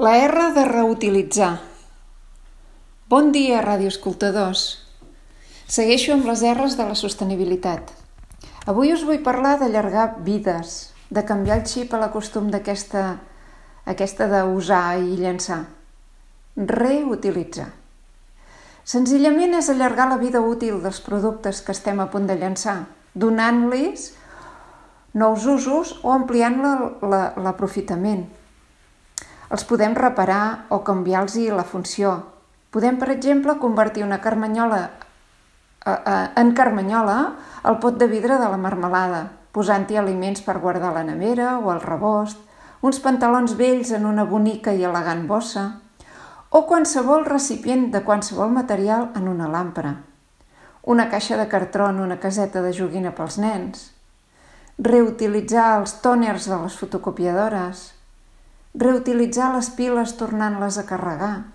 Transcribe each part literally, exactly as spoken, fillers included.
La R de reutilitzar. Bon dia, radioescoltadors. Segueixo amb les R's de la sostenibilitat. Avui us vull parlar d'allargar vides, de canviar el xip a la costum d'aquesta aquesta d'usar i llançar. Reutilitzar. Senzillament és allargar la vida útil dels productes que estem a punt de llançar, donant-los nous usos o ampliant l'aprofitament. Els podem reparar o canviar-los la funció. Podem, per exemple, convertir una carmanyola en carmanyola al pot de vidre de la marmelada, posant-hi aliments per guardar a la nevera o al rebost, uns pantalons vells en una bonica i elegant bossa, o qualsevol recipient de qualsevol material en una làmpara, una caixa de cartró en una caseta de joguina pels nens, reutilitzar els tòners de les fotocopiadores, reutilitzar les piles tornant-les a carregar.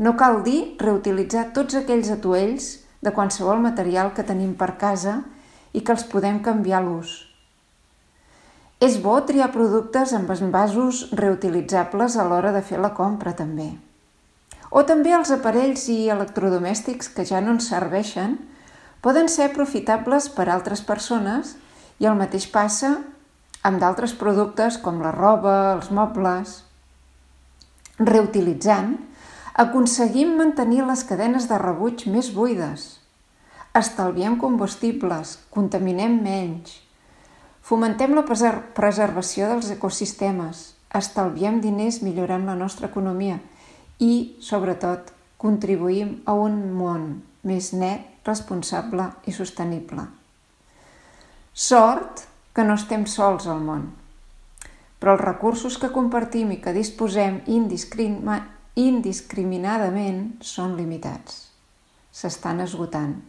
No cal dir reutilitzar tots aquells atuells de qualsevol material que tenim per casa i que els podem canviar l'ús. És bo triar productes amb envasos reutilitzables a l'hora de fer la compra, també. O també els aparells i electrodomèstics que ja no ens serveixen poden ser aprofitables per altres persones i el mateix passa amb d'altres productes com la roba, els mobles. Reutilitzant, aconseguim mantenir les cadenes de rebuig més buides, estalviem combustibles, contaminem menys, fomentem la preservació dels ecosistemes, estalviem diners millorant la nostra economia i, sobretot, contribuïm a un món més net, responsable i sostenible. Sort que no estem sols al món, però els recursos que compartim i que disposem indiscriminadament són limitats. S'estan esgotant.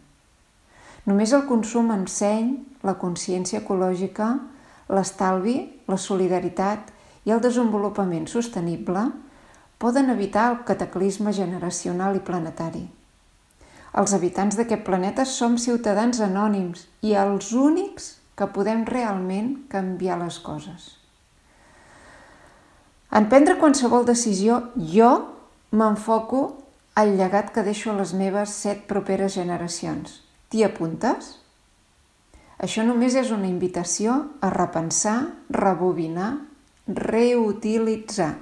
Només el consum amb seny, la consciència ecològica, l'estalvi, la solidaritat i el desenvolupament sostenible poden evitar el cataclisme generacional i planetari. Els habitants d'aquest planeta som ciutadans anònims i els únics que podem realment canviar les coses. En prendre qualsevol decisió, jo m'enfoco al llegat que deixo a les meves set properes generacions. T'hi apuntes? Això només és una invitació a repensar, rebobinar, reutilitzar.